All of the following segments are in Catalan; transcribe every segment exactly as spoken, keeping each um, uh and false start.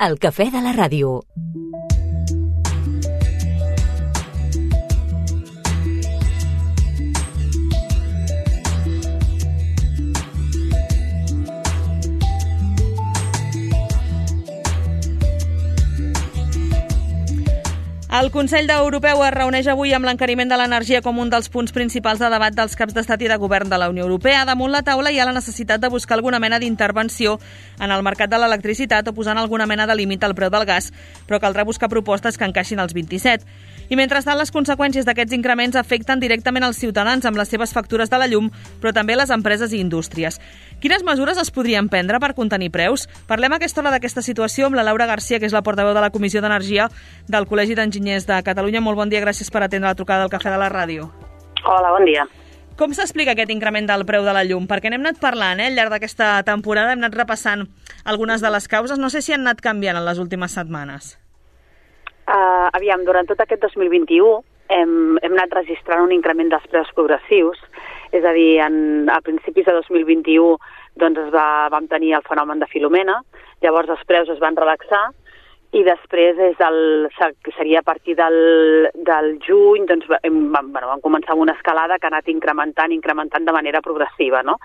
El cafè de la ràdio. El Consell Europeu es reuneix avui amb l'encariment de l'energia com un dels punts principals de debat dels caps d'estat i de govern de la Unió Europea. Damunt la taula hi ha la necessitat de buscar alguna mena d'intervenció en el mercat de l'electricitat o posant alguna mena de límit al preu del gas, però caldrà buscar propostes que encaixin als vint-i-set. I mentrestant, les conseqüències d'aquests increments afecten directament els ciutadans amb les seves factures de la llum, però també les empreses i indústries. Quines mesures es podrien prendre per contenir preus? Parlem a aquesta hora d'aquesta situació amb la Laura Garcia, que és la portaveu de la Comissió d'Energia del Col·legi d'Enginyers de Catalunya. Molt bon dia, gràcies per atendre la trucada del Cafè de la Ràdio. Hola, bon dia. Com s'explica aquest increment del preu de la llum? Perquè n'hem anat parlant, eh? Al llarg d'aquesta temporada hem anat repassant algunes de les causes. No sé si han anat canviant en les últimes setmanes. Uh, aviam, durant tot aquest dos mil vint-i-u hem, hem anat registrant un increment dels preus progressius, és a dir, en, a principis de dos mil vint-i-u doncs es va, vam tenir el fenomen de Filomena, llavors els preus es van relaxar i després és el, seria a partir del, del juny doncs hem, vam, bueno, vam començar amb una escalada que ha anat incrementant, incrementant de manera progressiva, no?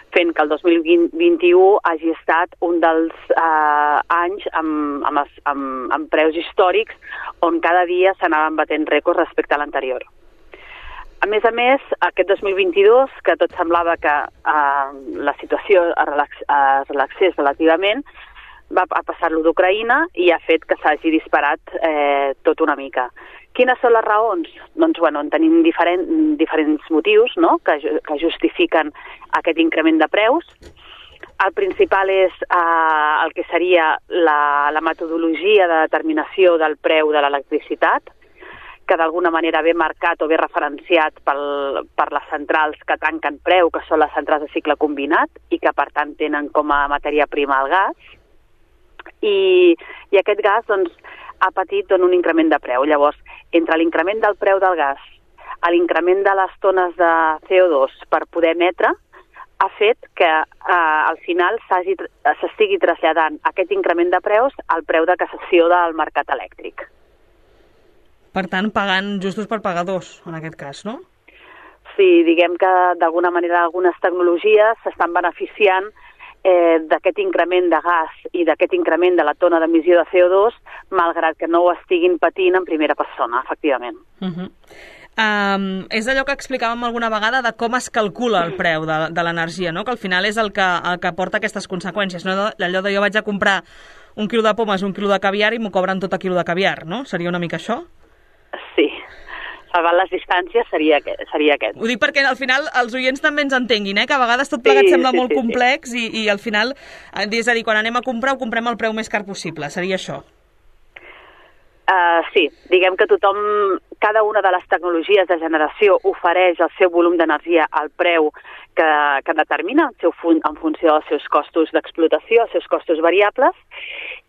Fent que el dos mil vint-i-u hagi estat un dels eh, anys amb, amb, els, amb, amb preus històrics on cada dia s'anaven batent rècords respecte a l'anterior. A més a més, aquest dos mil vint-i-dos, que tot semblava que eh, la situació es, relax, es relaxés relativament, va a passar-lo d'Ucraïna i ha fet que s'hagi disparat eh, tot una mica. Quines són les raons? Doncs, bueno, en tenim diferent, diferents motius, no?, que, que justifiquen aquest increment de preus. El principal és eh, el que seria la, la metodologia de determinació del preu de l'electricitat, que d'alguna manera ve marcat o ve referenciat pel, per les centrals que tanquen preu, que són les centrals de cicle combinat, i que per tant tenen com a matèria prima el gas. I, i aquest gas doncs, ha patit doncs, un increment de preu. Llavors, entre l'increment del preu del gas a l'increment de les tones de C O dos per poder emetre, ha fet que eh, al final s'estigui traslladant aquest increment de preus al preu de cassació del mercat elèctric. Per tant, pagant justos per pagadors, en aquest cas, no? Sí, diguem que d'alguna manera algunes tecnologies s'estan beneficiant Eh, d'aquest increment de gas i d'aquest increment de la tona d'emissió de C O dos, malgrat que no ho estiguin patint en primera persona, efectivament. Uh-huh. um, és allò que explicàvem alguna vegada de com es calcula el preu de, de l'energia, no? Que al final és el que, el que porta aquestes conseqüències, no? Allò de jo vaig a comprar un quilo de pomes, un quilo de caviar i m'ho cobren tot a quilo de caviar, no? Seria una mica això? Sí. Salvant les distàncies seria aquest, seria aquest. Ho dic perquè al final els oients també ens entenguin, eh? Que a vegades tot plegat sí, sembla sí, molt sí, complex sí. I, i al final, és a dir, quan anem a comprar ho comprem al preu més car possible, seria això? Uh, sí, diguem que tothom, cada una de les tecnologies de generació ofereix el seu volum d'energia al preu que, que determina el seu fun, en funció dels seus costos d'explotació, els seus costos variables,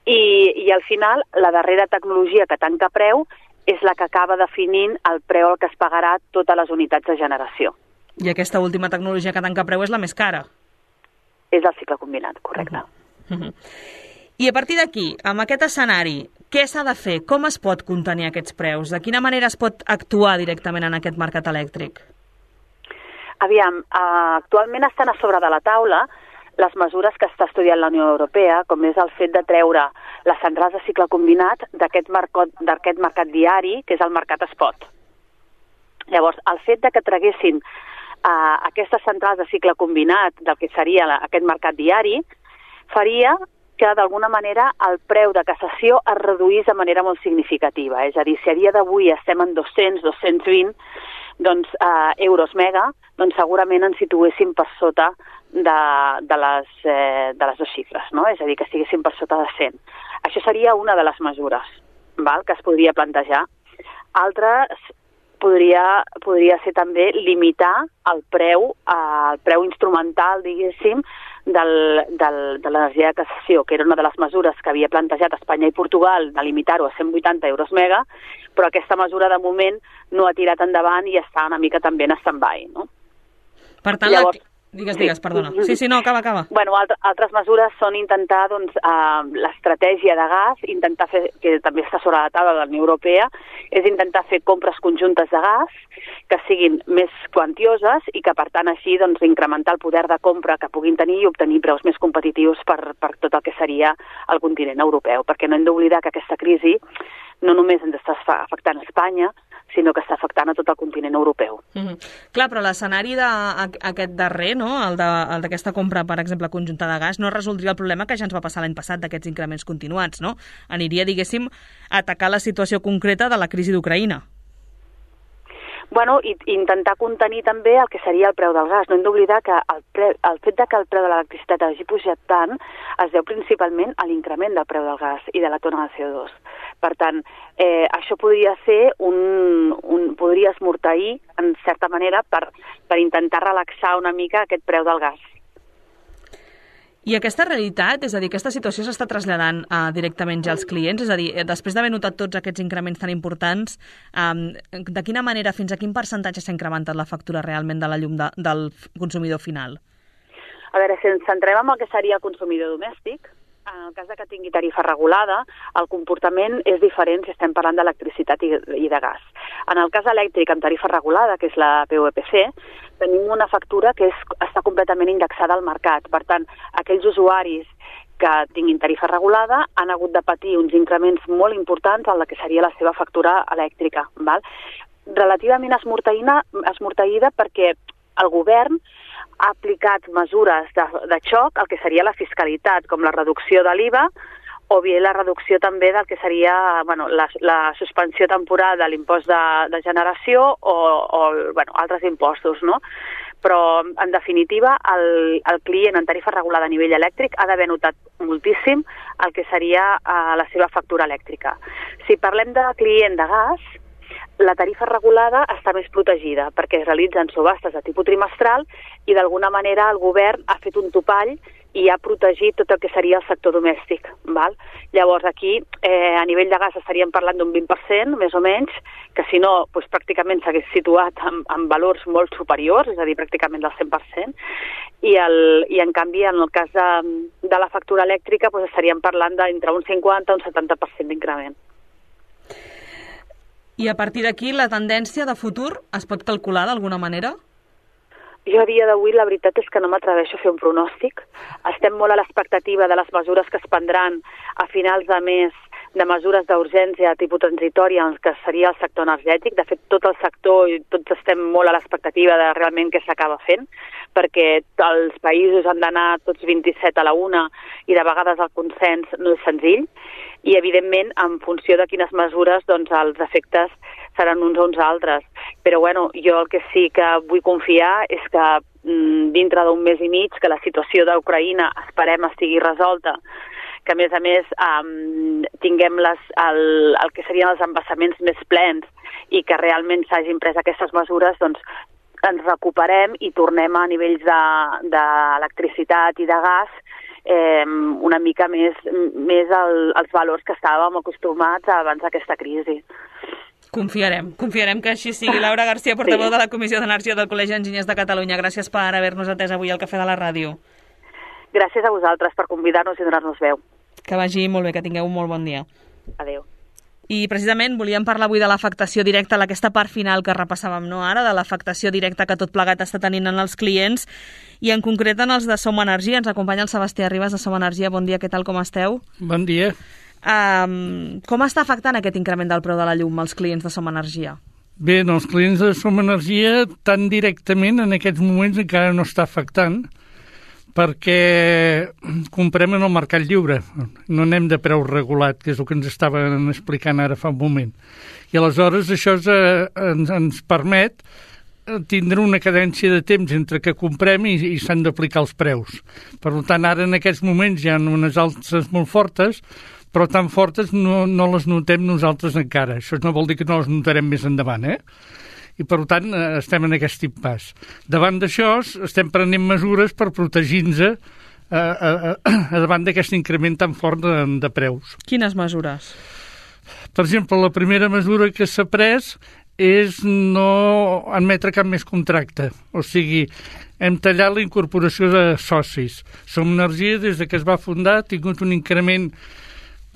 i, i al final la darrera tecnologia que tanca preu és la que acaba definint el preu al que es pagarà totes les unitats de generació. I aquesta última tecnologia que tanca preu és la més cara? És el cicle combinat, correcte. Uh-huh. Uh-huh. I a partir d'aquí, amb aquest escenari, què s'ha de fer? Com es pot contenir aquests preus? De quina manera es pot actuar directament en aquest mercat elèctric? Aviam, uh, actualment estan a sobre de la taula les mesures que està estudiant la Unió Europea, com és el fet de treure les centrals de cicle combinat d'aquest mercat, d'aquest mercat diari, que és el mercat spot. Llavors, el fet de que traguessin uh, aquestes centrals de cicle combinat del que seria la, aquest mercat diari, faria que d'alguna manera el preu de cassació es reduís de manera molt significativa. És a dir, si a dia d'avui estem en dos-cents, dos-cents vint doncs, uh, euros mega, doncs segurament ens situéssim per sota de, de, les, eh, de les dues xifres, no? És a dir, que estiguéssim per sota de cent. Això seria una de les mesures, val?, que es podria plantejar. Altres podria, podria ser també limitar el preu, eh, el preu instrumental, diguéssim, del, del, de l'energia de cassació, que era una de les mesures que havia plantejat Espanya i Portugal, de limitar-ho a cent vuitanta euros mega, però aquesta mesura de moment no ha tirat endavant i està una mica també en stand-by, no? Per tant, Llavors, la... Digues, digues, perdona. Sí, sí, no, acaba, acaba. Bueno, altre, altres mesures són intentar, doncs, eh, l'estratègia de gas, intentar fer, que també està sobre la taula de la Unió Europea, és intentar fer compres conjuntes de gas que siguin més quantioses i que, per tant, així, doncs, incrementar el poder de compra que puguin tenir i obtenir preus més competitius per, per tot el que seria el continent europeu. Perquè no hem d'oblidar que aquesta crisi no només ens està afectant a Espanya, sinó que està afectant a tot el continent europeu. Mm-hmm. Clar, però l'escenari d'aquest darrer, no? el d'aquesta compra, per exemple, conjunta de gas, no resoldria el problema que ja ens va passar l'any passat d'aquests increments continuats, no? Aniria, diguéssim, a atacar la situació concreta de la crisi d'Ucraïna. Bueno, i intentar contenir també el que seria el preu del gas. No hem d'oblidar que el, pre, el fet de que el preu de l'electricitat hagi pujat tant es deu principalment a l'increment del preu del gas i de la tona de C O dos. Per tant, eh, això podria ser un, un... podria esmorteir, en certa manera, per, per intentar relaxar una mica aquest preu del gas. I aquesta realitat, és a dir, aquesta situació s'està traslladant uh, directament ja als clients? És a dir, després d'haver notat tots aquests increments tan importants, um, de quina manera, fins a quin percentatge s'ha incrementat la factura realment de la llum de, del consumidor final? A veure, si ens centrem en el que seria el consumidor domèstic, en el cas de que tingui tarifa regulada, el comportament és diferent si estem parlant d'electricitat i, i de gas. En el cas elèctric amb tarifa regulada, que és la P U E P C, tenim una factura que és, està completament indexada al mercat. Per tant, aquells usuaris que tinguin tarifa regulada han hagut de patir uns increments molt importants en la que seria la seva factura elèctrica. Val? Relativament esmorteïda perquè el govern ha aplicat mesures de, de xoc al que seria la fiscalitat, com la reducció de l'I V A o bé la reducció també del que seria bueno, la, la suspensió temporal de l'impost de, de generació o, o bueno, altres impostos, no? Però, en definitiva, el, el client en tarifa regulada a nivell elèctric ha d'haver notat moltíssim el que seria uh, la seva factura elèctrica. Si parlem de client de gas, la tarifa regulada està més protegida perquè es realitzen subhastes de tipus trimestral i d'alguna manera el govern ha fet un topall i ha protegit tot el que seria el sector domèstic. Val? Llavors aquí eh, a nivell de gas estaríem parlant d'un vint per cent, més o menys, que si no doncs, pràcticament s'hagués situat en, en valors molt superiors, és a dir, pràcticament del cent per cent, i, el, i en canvi en el cas de, de la factura elèctrica doncs, estaríem parlant d'entre un cinquanta i un setanta per cent d'increment. I a partir d'aquí, la tendència de futur es pot calcular d'alguna manera? Jo a dia d'avui la veritat és que no m'atreveixo a fer un pronòstic. Estem molt a l'expectativa de les mesures que es prendran a finals de mes, de mesures d'urgència tipus transitòria en el que seria el sector energètic. De fet, tot el sector i tots estem molt a l'expectativa de realment què s'acaba fent, perquè els països han d'anar tots vint-i-set a la una i de vegades el consens no és senzill. I, evidentment, en funció de quines mesures, doncs, els efectes seran uns o uns altres. Però, bueno, jo el que sí que vull confiar és que mm, dintre d'un mes i mig, que la situació d'Ucraïna esperem estigui resolta, que, a més a més, um, tinguem les, el, el que serien els embassaments més plens i que realment s'hagin pres aquestes mesures, doncs, ens recuperem i tornem a nivells d'electricitat i de gas Eh, una mica més, més el, els valors que estàvem acostumats abans d'aquesta crisi. Confiarem, confiarem que així sigui. Laura Garcia, portaveu sí. de la Comissió d'Energia del Col·legi d'Enginyers de Catalunya. Gràcies per haver-nos atès avui al Cafè de la Ràdio. Gràcies a vosaltres per convidar-nos i donar-nos veu. Que vagi molt bé, que tingueu un molt bon dia. Adéu. I precisament volíem parlar avui de l'afectació directa, aquesta part final que repassàvem no ara, de l'afectació directa que tot plegat està tenint en els clients i en concret en els de Som Energia. Ens acompanya el Sebastià Ribas de Som Energia. Bon dia, què tal, com esteu? Bon dia. Um, com està afectant aquest increment del preu de la llum als clients de Som Energia? Bé, els clients de Som Energia tan directament en aquests moments encara no està afectant, perquè comprem en el mercat lliure, no anem de preu regulat, que és el que ens estaven explicant ara fa un moment. I aleshores això eh, ens, ens permet tindre una cadència de temps entre que comprem i, i s'han d'aplicar els preus. Per tant, ara en aquests moments hi ha unes alces molt fortes, però tan fortes no, no les notem nosaltres encara. Això no vol dir que no les notarem més endavant, eh? I, per tant, estem en aquest impàs. Davant d'això, estem prenent mesures per protegir-nos a, a, a, davant d'aquest increment tan fort de, de preus. Quines mesures? Per exemple, la primera mesura que s'ha pres és no admetre cap més contracte. O sigui, hem tallat la incorporació de socis. Som Energia, des que es va fundar, ha tingut un increment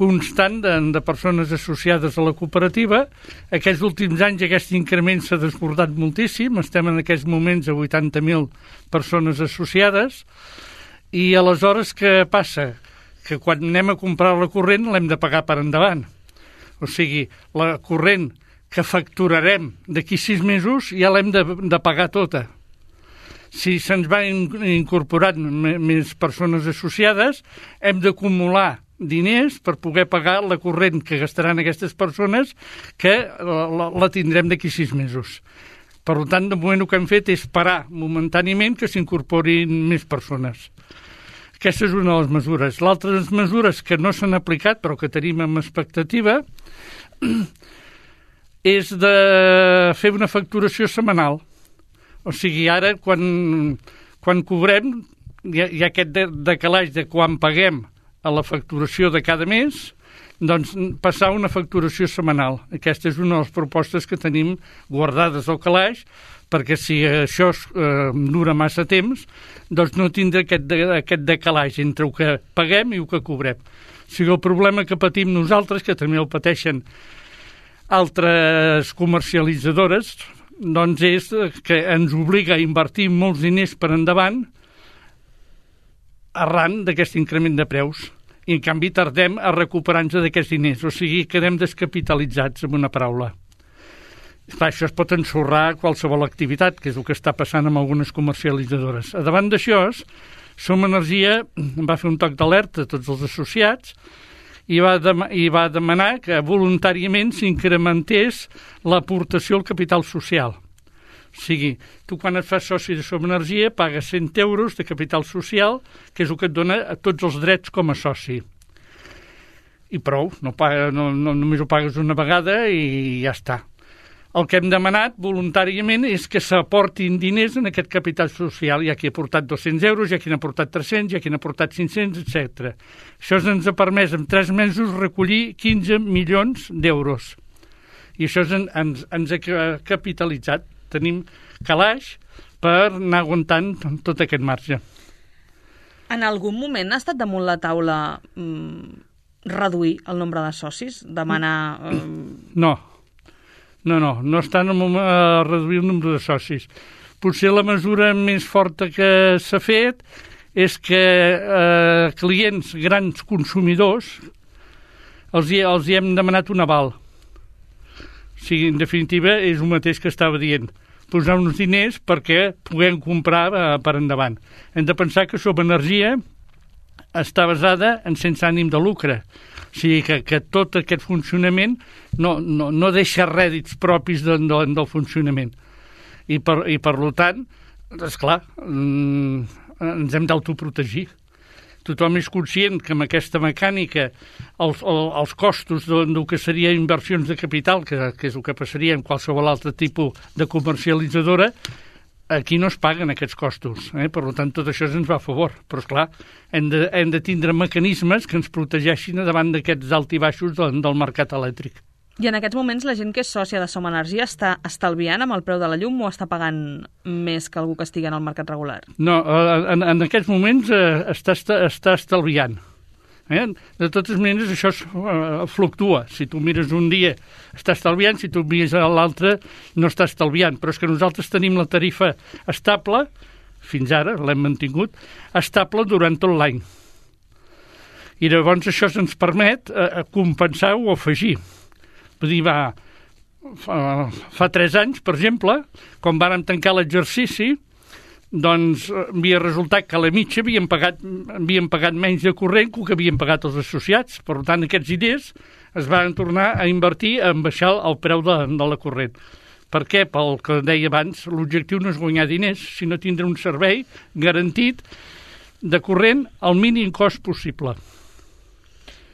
constant de, de persones associades a la cooperativa. Aquests últims anys aquest increment s'ha desbordat moltíssim. Estem en aquests moments a vuitanta mil persones associades. I aleshores què passa? Que quan anem a comprar la corrent l'hem de pagar per endavant. O sigui, la corrent que facturarem d'aquí sis mesos ja l'hem de, de pagar tota. Si se'ns van incorporant més persones associades, hem d'acumular diners per poder pagar la corrent que gastaran aquestes persones, que la, la tindrem d'aquí sis mesos. Per tant, de moment el que hem fet és parar momentàniament que s'incorporin més persones. Aquesta és una de les mesures. L'altres mesures que no s'han aplicat, però que tenim en expectativa, és de fer una facturació setmanal. O sigui, ara, quan, quan cobrem, hi ha, hi ha aquest decalatge de quan paguem a la facturació de cada mes, doncs passar una facturació setmanal. Aquesta és una de les propostes que tenim guardades al calaix, perquè si això eh, dura massa temps, doncs no tindrà aquest, de, aquest decalatge entre el que paguem i el que cobrem. O sigui, el problema que patim nosaltres, que també el pateixen altres comercialitzadores, doncs és que ens obliga a invertir molts diners per endavant arran d'aquest increment de preus. I, en canvi, tardem a recuperar-nos d'aquests diners. O sigui, quedem descapitalitzats, amb una paraula. Clar, això es pot ensorrar qualsevol activitat, que és el que està passant amb algunes comercialitzadores. A davant d'això, Som Energia va fer un toc d'alerta a tots els associats i va, dem i va demanar que voluntàriament s'incrementés l'aportació al capital social. O sigui, tu quan et fas soci de Som Energia pagues cent euros de capital social, que és el que et dona a tots els drets com a soci. I prou, no paga, no, no, només ho pagues una vegada i ja està. El que hem demanat voluntàriament és que s'aportin diners en aquest capital social. Hi ha qui ha aportat dos-cents euros, hi ha qui n'ha aportat tres-cents, hi ha qui n'ha aportat cinc-cents, etcètera. Això ens ha permès en tres mesos recollir quinze milions d'euros. I això ens, ens, ens ha capitalitzat. Tenim calaix per anar aguantant tot aquest marge. En algun moment ha estat damunt la taula mmm, reduir el nombre de socis? Demanar... Eh... No. No, no, no estan a reduir el nombre de socis. Potser la mesura més forta que s'ha fet és que eh, clients, grans consumidors, els hi, els hi hem demanat un aval. O sigui, en definitiva, és el mateix que estava dient. Posar uns diners perquè puguem comprar eh, per endavant. Hem de pensar que Som Energia està basada en sense ànim de lucre. O sigui, que, que tot aquest funcionament no, no, no deixa rèdits propis de, de, del funcionament. I per, i per tant, esclar, mm, ens hem d'autoprotegir. Tothom és conscient que amb aquesta mecànica els, els costos del que seria inversions de capital, que, que és el que passaria en qualsevol altre tipus de comercialitzadora, aquí no es paguen aquests costos, eh? Per tant, tot això ens va a favor. Però, esclar, hem de, hem de tindre mecanismes que ens protegeixin davant d'aquests alt i baixos del, del mercat elèctric. I en aquests moments la gent que és sòcia de Som Energia està estalviant amb el preu de la llum o està pagant més que algú que estigui en el mercat regular? No, en, en aquests moments eh, està, està estalviant. Eh? De totes maneres, això uh, fluctua. Si tu mires un dia, està estalviant, si tu mires l'altre, no està estalviant. Però és que nosaltres tenim la tarifa estable, fins ara l'hem mantingut, estable durant tot l'any. I llavors això ens permet uh, compensar o afegir. Vull dir, va, fa, fa tres anys, per exemple, quan vàrem tancar l'exercici, doncs havia resultat que a la mitja havíem pagat, havíem pagat menys de corrent que el que havien pagat els associats. Per tant, aquests diners es van tornar a invertir en baixar el preu de, de la corrent. Per què? Pel que deia abans, l'objectiu no és guanyar diners, sinó tindre un servei garantit de corrent al mínim cost possible.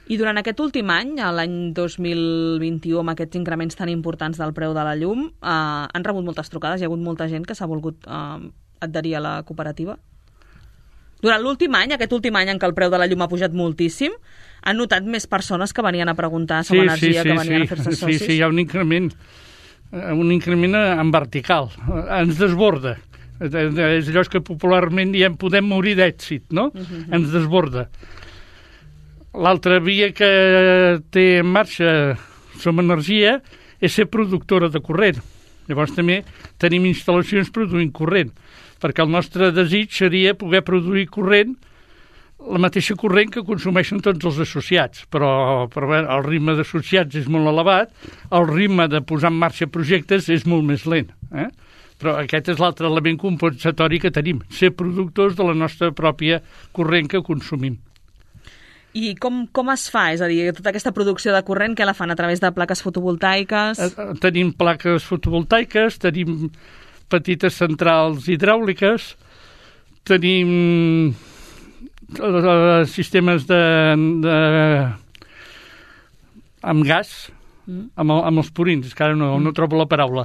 I durant aquest últim any, l'any dos mil vint-i-u, amb aquests increments tan importants del preu de la llum, eh, han rebut moltes trucades, hi ha hagut molta gent que s'ha volgut eh, adherir a la cooperativa? Durant l'últim any, aquest últim any en què el preu de la llum ha pujat moltíssim, han notat més persones que venien a preguntar a Som sí, Energia, sí, sí, que venien sí, a fer-se socis? Sí, sí, hi ha un increment. un increment en vertical, ens desborda. És allò que popularment diem podem morir d'èxit, no? Uh-huh. Ens desborda. L'altra via que té en marxa Som Energia és ser productora de corrent. Llavors també tenim instal·lacions produint corrent, perquè el nostre desig seria poder produir corrent, la mateixa corrent que consumeixen tots els associats, però, però bé, el ritme d'associats és molt elevat, el ritme de posar en marxa projectes és molt més lent. Eh? Però aquest és l'altre element compensatori que tenim, ser productors de la nostra pròpia corrent que consumim. I com, com es fa? És a dir, tota aquesta producció de corrent, que la fan a través de plaques fotovoltaiques? Tenim plaques fotovoltaiques, tenim petites centrals hidràuliques, tenim sistemes de, de amb gas, mm. amb, amb els purins, que ara no, no trobo la paraula.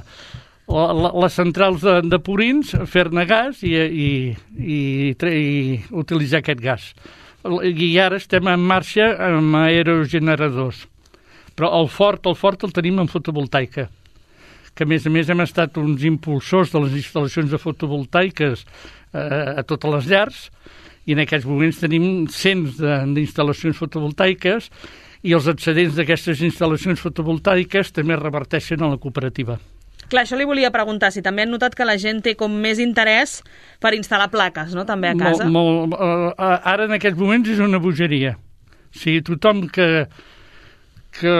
La, la, les centrals de, de purins, fer-ne gas i, i, i, i utilitzar aquest gas. I ara estem en marxa amb aerogeneradors. Però el fort, el fort el tenim en fotovoltaica, que a més a més hem estat uns impulsors de les instal·lacions de fotovoltaiques eh, a totes les llars, i en aquests moments tenim cents d'instal·lacions fotovoltaiques i els excedents d'aquestes instal·lacions fotovoltaiques també reverteixen a la cooperativa. Clar, això li volia preguntar, si també han notat que la gent té com més interès per instal·lar plaques, no?, també a casa. Molt, molt, uh, ara en aquests moments és una bogeria. O sigui, tothom que, que,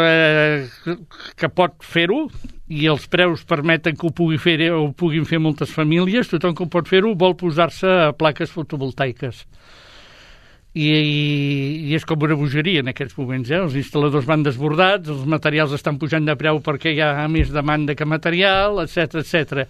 que pot fer-ho, i els preus permeten que ho pugui fer o ho puguin fer moltes famílies, tothom que ho pot fer-ho vol posar-se a plaques fotovoltaiques. I, i, i és com una bogeria en aquests moments, eh? Els instal·ladors van desbordats, els materials estan pujant de preu perquè hi ha més demanda que material, etcètera, etcètera.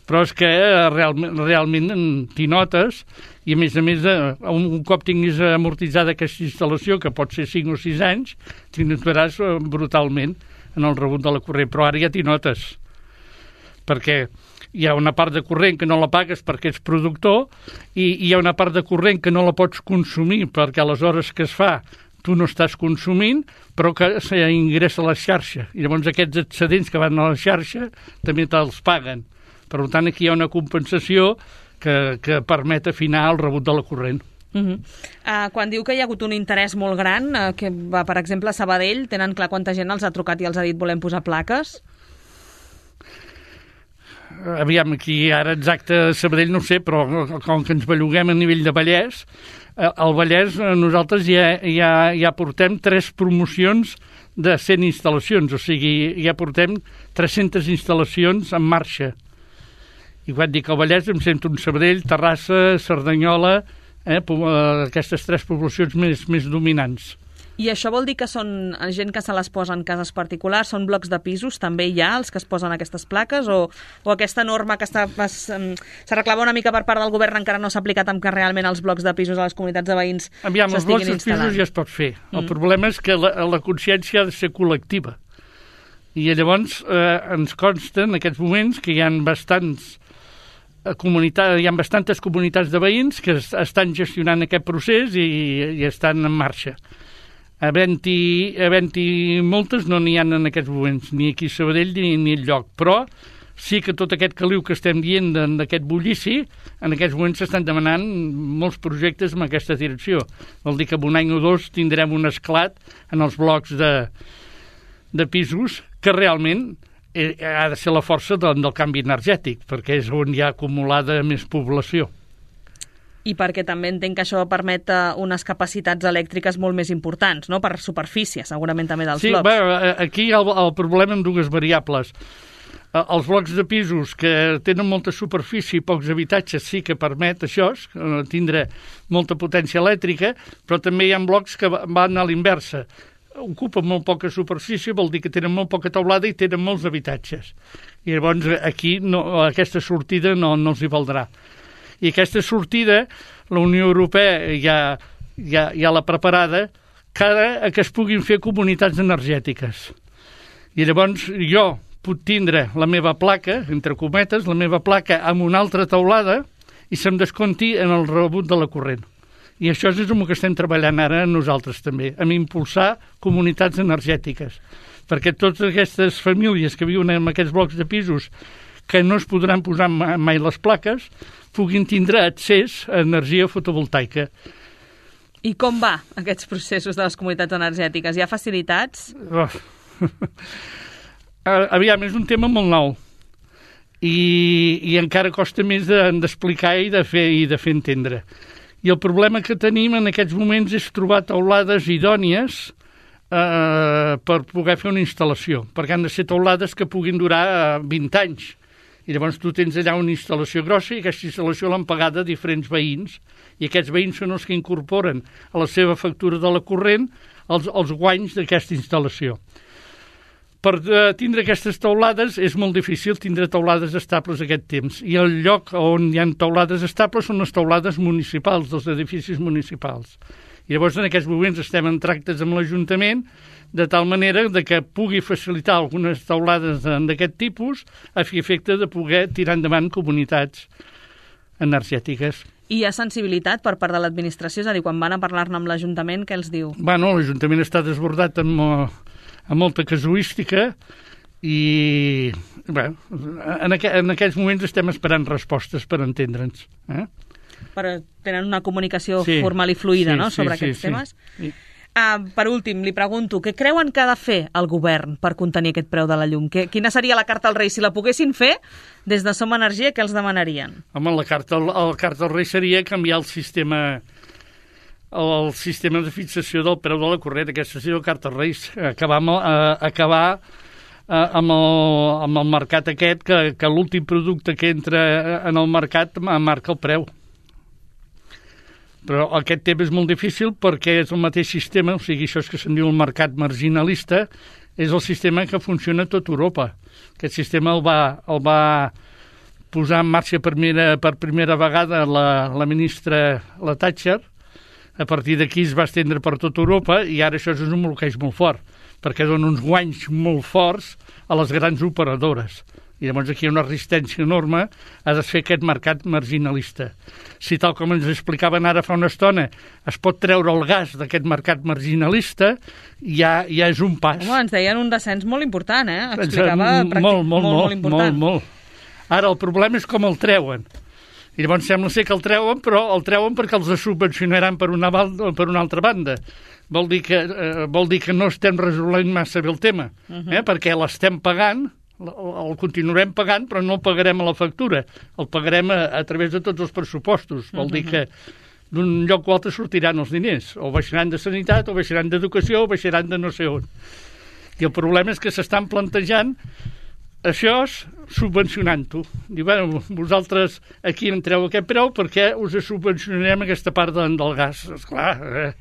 Però és que realment, realment t'hi notes, i a més a més, un, un cop tinguis amortitzada aquesta instal·lació, que pot ser cinc o sis anys, t'hi notaràs brutalment en el rebut de la corrent, però ara ja t'hi notes, perquè hi ha una part de corrent que no la pagues perquè ets productor i hi ha una part de corrent que no la pots consumir perquè a les hores que es fa tu no estàs consumint, però que s'ingressa a la xarxa. I llavors aquests excedents que van a la xarxa també te'ls paguen. Per tant, aquí hi ha una compensació que, que permet afinar el rebut de la corrent. Uh -huh. uh, quan diu que hi ha hagut un interès molt gran, uh, que va, per exemple, a Sabadell, tenen clar quanta gent els ha trucat i els ha dit volem posar plaques? Aviam, aquí ara exacte a Sabadell no ho sé, però com que ens belluguem a nivell de Vallès, al Vallès nosaltres ja, ja, ja portem tres promocions de cent instal·lacions, o sigui, ja portem tres-centes instal·lacions en marxa. I quan dic al Vallès em sento un Sabadell, Terrassa, Cerdanyola, eh, aquestes tres poblacions més, més dominants. I això vol dir que són gent que se les posa en cases particulars, són blocs de pisos, també hi ha els que es posen aquestes plaques, o, o aquesta norma que està, es, se reclama una mica per part del govern encara no s'ha aplicat amb que realment els blocs de pisos a les comunitats de veïns Aviam, s'estiguin instal·lant? Els blocs de pisos ja es pot fer. Mm. El problema és que la, la consciència ha de ser col·lectiva. I llavors eh, ens consta en aquests moments que hi ha bastants comunitats, hi ha bastantes comunitats de veïns que estan gestionant aquest procés i, i estan en marxa. Havent-hi havent-hi moltes no n'hi ha en aquests moments, ni aquí a Sabadell ni, ni enlloc, però sí que tot aquest caliu que estem dient d'aquest bullici, en aquests moments s'estan demanant molts projectes en aquesta direcció. Vol dir que en un any o dos tindrem un esclat en els blocs de, de pisos que realment ha de ser la força del, del canvi energètic, perquè és on hi ha acumulada més població. I perquè també entenc que això permet unes capacitats elèctriques molt més importants, no?, per superfície, segurament també dels sí, blocs. Sí, bé, aquí hi ha el, el problema amb dues variables. Els blocs de pisos que tenen molta superfície i pocs habitatges sí que permet això, tindre molta potència elèctrica, però també hi ha blocs que van a l'inversa. Ocupen molt poca superfície, vol dir que tenen molt poca teulada i tenen molts habitatges. I llavors aquí no, aquesta sortida no, no els hi valdrà. I aquesta sortida, la Unió Europea ja, ja, ja l'ha preparada cara a que es puguin fer comunitats energètiques. I llavors jo puc tindre la meva placa, entre cometes, la meva placa amb una altra teulada i se'm desconti en el rebut de la corrent. I això és el que estem treballant ara nosaltres també, amb impulsar comunitats energètiques, perquè totes aquestes famílies que viuen en aquests blocs de pisos que no es podran posar mai les plaques puguin tindre accés a energia fotovoltaica. I com va aquests processos de les comunitats energètiques? Hi ha facilitats? Oh. Aviam, és un tema molt nou i, i encara costa més d'explicar de, i, de fer, i de fer entendre. I el problema que tenim en aquests moments és trobar teulades idònies eh, per poder fer una instal·lació, perquè han de ser teulades que puguin durar vint anys. I llavors tu tens allà una instal·lació grossa i aquesta instal·lació l'han pagada diferents veïns i aquests veïns són els que incorporen a la seva factura de la corrent els, els guanys d'aquesta instal·lació. Per uh, tindre aquestes teulades és molt difícil tindre teulades estables aquest temps i el lloc on hi ha teulades estables són les teulades municipals, dels edificis municipals. I llavors en aquests moments estem en tractes amb l'Ajuntament de tal manera de que pugui facilitar algunes teulades d'aquest tipus a fi efecte de poder tirar endavant comunitats energètiques. I hi ha sensibilitat per part de l'administració? És a dir, quan van a parlar-ne amb l'Ajuntament, què els diu? Bueno, l'Ajuntament està desbordat amb, amb molta casuística i bé, en, aqu en aquests moments estem esperant respostes per entendre'ns. Eh? Però tenen una comunicació sí, formal i fluida, sí, no?, sobre sí, aquests sí, temes. Sí. Uh, per últim, li pregunto, què creuen que ha de fer el govern per contenir aquest preu de la llum? Que, quina seria la carta als Reis? Si la poguessin fer, des de Som Energia, què els demanarien? Home, la carta, la carta als Reis seria canviar el sistema, el sistema de fixació del preu de la corrent. Aquesta seria la carta als Reis. Acabar amb, uh, acabar uh, amb, el, amb el mercat aquest, que, que l'últim producte que entra en el mercat marca el preu. Però aquest tema és molt difícil perquè és el mateix sistema, o sigui, això és que se'n diu el mercat marginalista, és el sistema que funciona a tot Europa. Aquest sistema el va, el va posar en marxa per primera, per primera vegada la, la ministra la Thatcher. A partir d'aquí es va estendre per tot Europa i ara això és un bloqueig molt fort, perquè dona uns guanys molt forts a les grans operadores. I llavors aquí hi ha una resistència enorme a desfer aquest mercat marginalista. Si tal com ens explicaven ara fa una estona es pot treure el gas d'aquest mercat marginalista, ja, ja és un pas. Home, ens deien un descens molt important, eh? Explicava molt, molt, molt, molt important. Molt, molt. Ara, el problema és com el treuen. I llavors sembla ser que el treuen, però el treuen perquè els subvencionaran per una, per una altra banda. Vol dir que, eh, vol dir que no estem resolent massa bé el tema, uh -huh. eh? perquè l'estem pagant, el continuarem pagant, però no el pagarem a la factura, el pagarem a, a través de tots els pressupostos. Vol dir que d'un lloc o altre sortiran els diners, o baixaran de sanitat, o baixaran d'educació, o baixaran de no sé on. I el problema és que s'estan plantejant això subvencionant-ho. Diu, bueno, vosaltres aquí entreu aquest preu perquè us subvencionarem aquesta part de, del gas. Esclar, eh?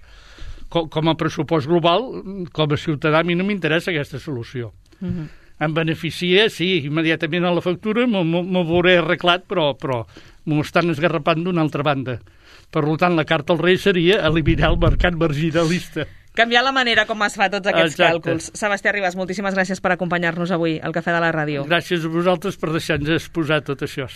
com, com a pressupost global, com a ciutadà, a mi no m'interessa aquesta solució. Uh-huh. Em beneficia, sí, immediatament a la factura m'ho veuré arreglat, però, però m'ho estan esgarrapant d'una altra banda. Per tant, la carta als Reis seria eliminar el mercat marginalista. Canviar la manera com es fa tots aquests Exacte. càlculs. Sebastià Ribas, moltíssimes gràcies per acompanyar-nos avui al Cafè de la Ràdio. Gràcies a vosaltres per deixar-nos exposar tot això.